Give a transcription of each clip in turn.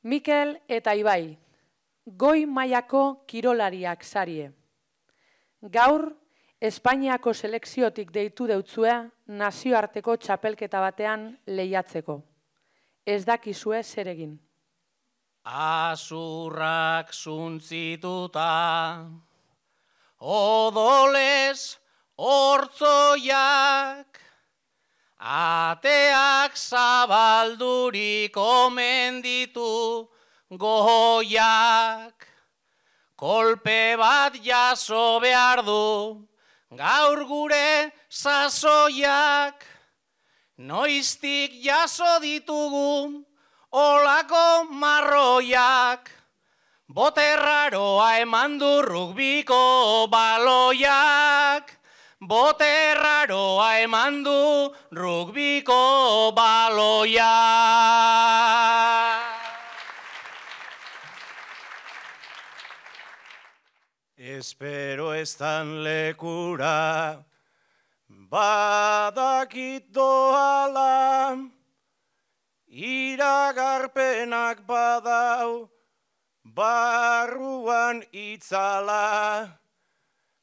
Mikel eta Ibai, goi mailako kirolariak sarie. Gaur, Espainiako selekziotik deitu deutzue nazioarteko txapelketa batean lehiatzeko. Ez dakizue zer egin. Azurrak zuntzituta, odolez hortzoiak, ateak zabaldurik omen ditu goiak, kolpe bat jaso behar du, gaur gure sasoiak, noiztik jaso ditugu olako marroiak, boterraroa eman du rugbiko baloiak, boterraroa eman du rugbiko baloiak. Espero estan lekura, badakit doala, iragarpenak badau, barruan itzala,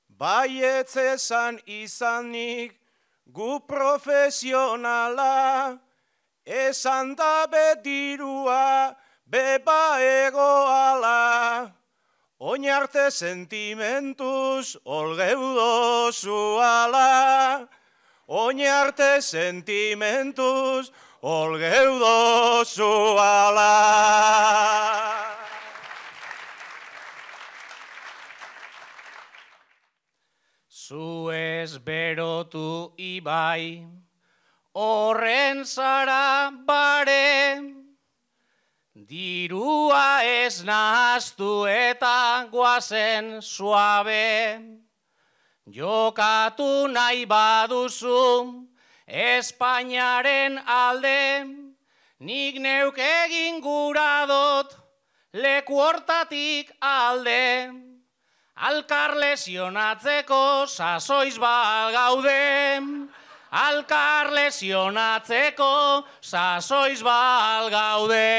baietz esan izanik gu profesionala, esan da bedirua beba egoala. Oinarte sentimentuz olgeudozu ala, oinarte sentimentuz olgeudozu ala. Zu ez berotu Ibai, horren zara bare, dirua ez nahaztu eta guazen suabe, jokatu nahi baduzu Espainiaren alde, nik neuk egin gura dut leku hortatik alde, alkar lesionatzeko sasoiz bal gaude, alkar lesionatzeko sasoiz bal gaude.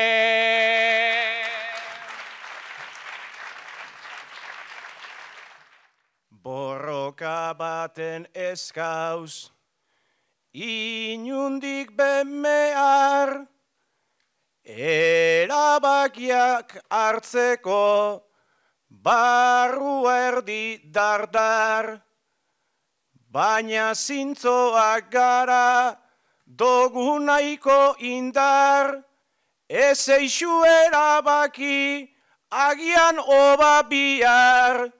Borroka baten eskauz, inundik benmehar, erabakiak hartzeko, barrua erdi dardar, baina zintzoak gara, dogu nahiko indar, ez eixu erabaki, agian oba bihar,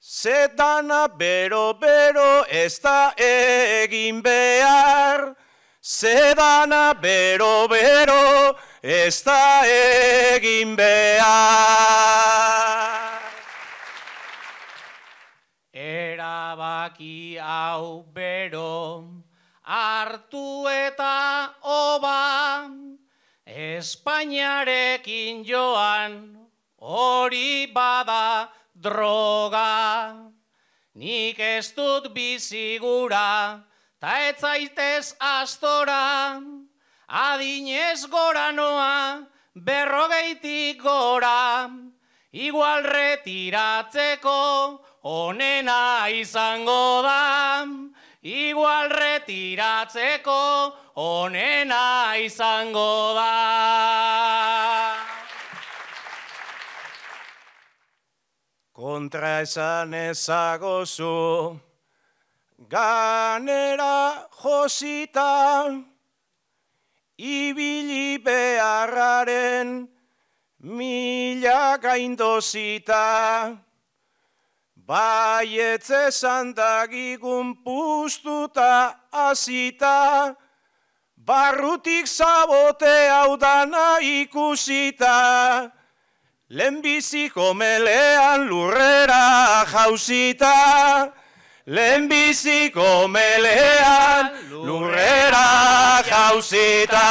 zedana bero-bero ez da egin behar, zedana bero-bero ez da egin behar. Erabaki hau bero, hartu eta oba, Espainiarekin joan, hori bada droga. Nik ez dut bizigura, ta ez zaitez astora, adinez gora noa, 40 gora, igual retiratzeko onena izango da, igual retiratzeko onena izango da. Kontra esan ezagozu, ganera josita, ibili beharraren mila gaindozita, baietz esan dagigun puztuta azita, barrutik zabote hau dana ikusita, lehenbiziko melean lurrera jauzita, lehenbiziko melean lurrera jauzita.